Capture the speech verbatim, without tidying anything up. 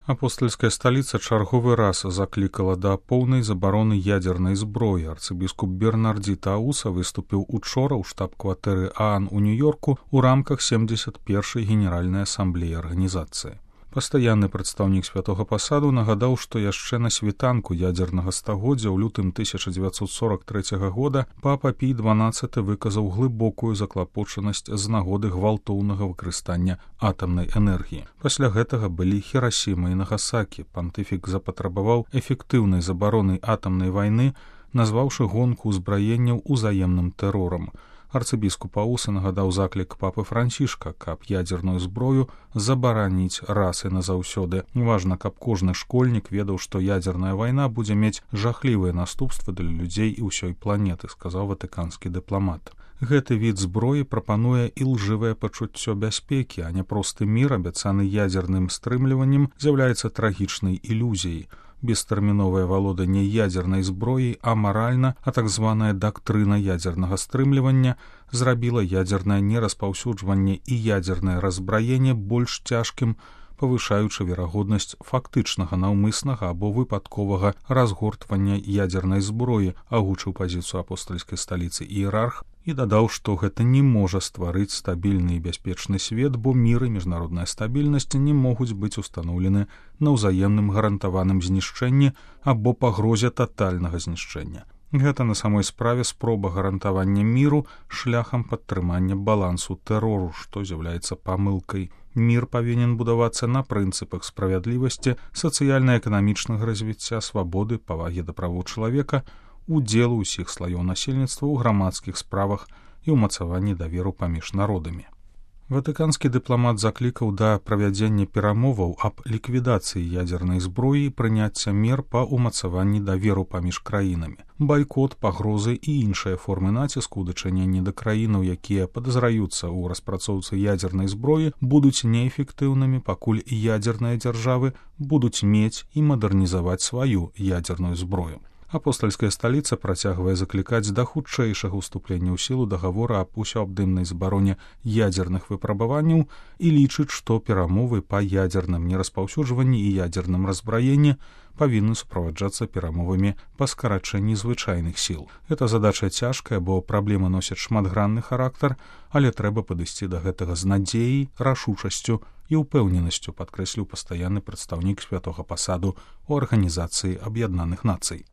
Апостальская сталіца чарговы раз заклікала да поўнай забароны ядзернай зброі. Арцыбіскуп Бернардзі Тауса выступіў учора ў штаб-кватэры ААН у Нью-Йорку ў рамках семдзесят першай генеральнай асамблеі арганізацыі. Пастаянны прадстаўнік святога пасаду нагадаў, што яшчэ на світанку ядзернага стагоддзя ў лютым тысяча дзевяцьсот сорок трэцяга года папа Пій дванаццаты выказаў глыбокую заклапочанасць з нагоды гвалтоўнага выкарыстання атамнай энергіі. Пасля гэтага былі Хірасіма і Нагасакі. Пантыфік запатрабаваў эфектыўнай забароны атамнай вайны, назваўшы гонку ўзбраенняў узаемным тэрорам. Арцыбіскуп Ауса нагадаў заклік папы Францішка, каб ядзерную зброю забараніць раз і назаўсёды. Важна, каб кожны школьнік ведаў, што ядзерная вайна будзе мець жахлівыя наступствы для людзей і ўсёй планеты, сказаў ватыканскі дыпламат. Гэты від зброі прапануе ілжывае пачуццё бяспекі, а не просты мір, абяцаны ядзерным стрымліваннем, з'яўляецца трагічнай ілюзіяй. Бестэрміновае валоданне ядзернай зброі амаральна, а так званая дактрына ядзернага стрымлівання зрабіла ядзернае нераспаўсюджванне і ядзернае разбраенне больш цяжкім, павышаючы верагоднасць фактычнага наўмыснага або выпадковага разгортвання ядзернай зброі, агучыў пазіцыю апостальскай сталіцы іерарх і дадаў, што гэта не можа стварыць стабільны і бяспечны свет, бо мір і міжнародная стабільнасць не могуць быць устаноўлены на ўзаемным гарантаваным знішчэнні або пагрозе татальнага знішчэння. Гэта на самой справе спроба гарантавання міру шляхам падтрымання балансу тэрору, што з'яўляецца памылкай. Мір павінен будавацца на прынцыпах справядлівасці, сацыяльна-эканамічнага развіцця, свабоды, павагі да правоў чалавека, удзелу ўсіх слаёў насельніцтва ў грамадскіх справах і ўмацаванні даверу паміж народамі. Ватыканскі дыпламат заклікаў да правядзення перамоваў аб ліквідацыі ядзернай зброі і прыняцця мер па ўмацаванні даверу паміж краінамі. Байкот, пагрозы і іншыя формы націску ў дачыненні да краінаў, якія падазраюцца ў распрацоўцы ядзернай зброі, будуць неэфектыўнымі, пакуль ядзерныя дзяржавы будуць мець і мадэрнізаваць сваю ядзерную зброю. Апостальская сталіца працягвае заклікаць да хутчэйшага ўступлення ў сілу дагавора аб усеабдымнай забароне ядзерных выпрабаванняў і лічыць, што перамовы па ядзерным нераспаўсюджванні і ядзерным разбраенні павінны суправаджацца перамовамі па скарачэнні звычайных сіл. Гэта задача цяжкая, бо праблема носіць шматгранны характар, але трэба падысці да гэтага з надзеяй, рашучасцю і ўпэўненасцю, падкрэсліў пастаянны прадстаўнік святога пасаду ў Арганізацыі Аб'яднаных Нацый.